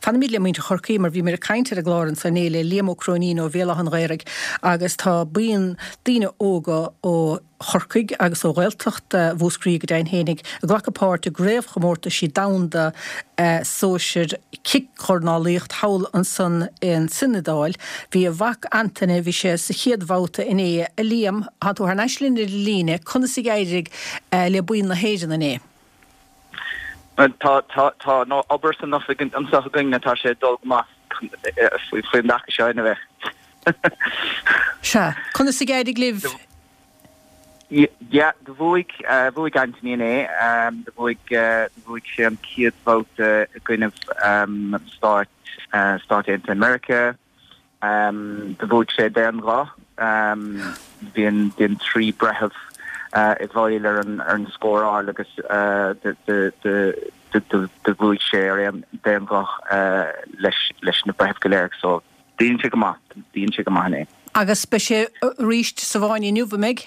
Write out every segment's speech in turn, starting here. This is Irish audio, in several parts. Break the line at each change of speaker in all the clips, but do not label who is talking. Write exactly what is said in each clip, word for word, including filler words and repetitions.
Fanfaimid le muintir Chorcaí mar bhíomar ag caint ar an gclár anso inné le Liam Ó Cróinín ó Bhéal Átha an Ghaorthaidh agus tá buíon daoine óga ó Chorcaigh agus ó Ghaeltacht Mhúscraí go deimhin fhéinig ag glacadh páirt i gcraobhchomórtaisí domhanda sóisir cicdhornálaíocht thall ansan in san Iodáil. Bhí a mhac Antaine, bhí sé sa chéad bhabhta inné. A Liam, tá tú thar n-ais linn ar an líne, conas a d'éirigh le buíon na hÉireann inné?
Tá tá tá an obair san oifig anseo againn tá sé ag dul go maith faoin dtaca seo ina bheith.
Sea, conas a d'éirigh libh?
Yeah, do bhuaigh bhuaigh Anthony inné, do bhuaigh do bhuaigh sé an chéad bhabhta i gcoinnibh Stáit Stáit Aontaithe Meiriceá. Do bhuaigh sé d'aon ghuth. Bhí an bhí an trí breitheamh i bhfeighil ar an ar an scóráil agus do bhuaigh sé ar aon d'aon ghuth leis leis na breithimh go léir. So dhein sé go maith, dhein sé go maith inné.
Agus beidh sé arís sa bhfáinne inniu, an mbeidh?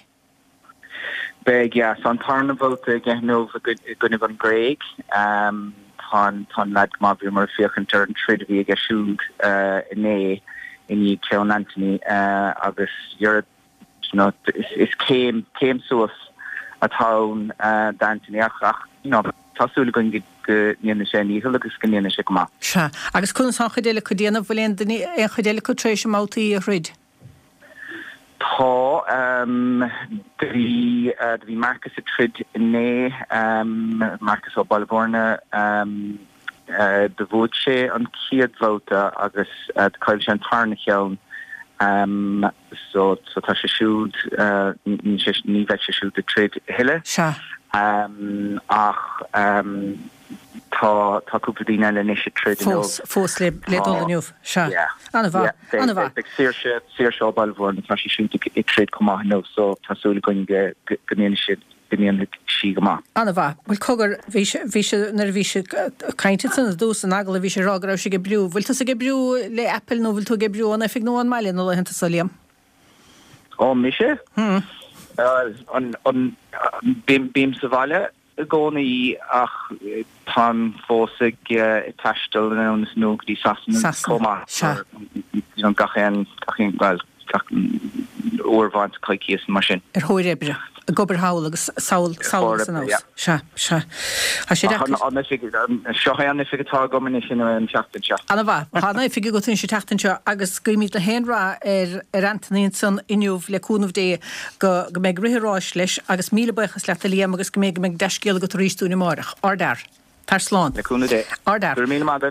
Beidh, yeah. So an tarna bhabhta aige inniu i gcoinnibh an Ghréig. Tá an tá an leaid go maith, bhíomar ag féachaint ar an troid a bhí aige siúd inné i ndiaidh ceann Anthony agus dhera you know is is céim céim suas atá ann d'Anthony ach ach you know tá súil againn go go ndéanfaidh sé a ndícheall agus go ndéanfaidh sé go maith.
Sea. Agus conas tá an chuid eile acu ag déanamh? Bhfuil aon duine aon chuid eile acu tar éis a mbabhtaí a throid?
Tá. Do bhí do bhí Marcus ag troid inné, Marcus ó Baile Bhúirne. Do bhuaigh sé an chéad bhabhta agus do chaill sé an tarna cheann. So so tá sé siúd ní sé ní bheidh sé siúd ag troid a thuilleadh.
Sea.
Ach tá tá cúpla daoine eile anois ag troid inniu.
Fós fós le le dul inniu. Sea.
Yeah.
An-mhaith. An-mhaith.
Beidh Saoirse Saoirse ó Baile Bhúirne tá sí siúd ag troid chomh maith inniu so tá súil againn go go ndéanfaidh siad go ndéanfaidh sí go maith.
An-mhaith. Bhuel cogar bhí sé bhí sé nuair a bhí sé ag caint ansan i dtús an agallaimh bhí sé ag rá go raibh sé ag oibriú. Bhfuil tusa ag oibriú le Apple nó bhfuil tú ag oibriú ón oifig nó ón mbaile na laethanta seo Liam?
Ó mise?
Hmm.
An an bím bím sa bhaile i gcónaí ach táim fós ag taisteal anonn is anall go dtí Sasana chomh maith.
Sea.
You know gach aon gach aon bhuel gach uair amháin sa choicíos mar sin.
Ar thóir oibre, ag obair thall agus sall sall agus anuas. Sea, sea. Tá sé
deacair. An oifig seo é an oifig atá agam anois in an tseachtain seo.
An-mhaith. Tá an oifig agat anois an tseachtain seo agus guímid gach aon rath ar ar Anthony ansan inniu le cúnamh Dé go go mbeidh rith an ráis leis agus míle buíochas leat a Liam agus go mbeidh go mbeidh dea-scéal agat arís dúinn amárach. Ardfhear. Tar slán.
Le cúnamh Dé.
Ardfhear.
Go raibh míle maith agat.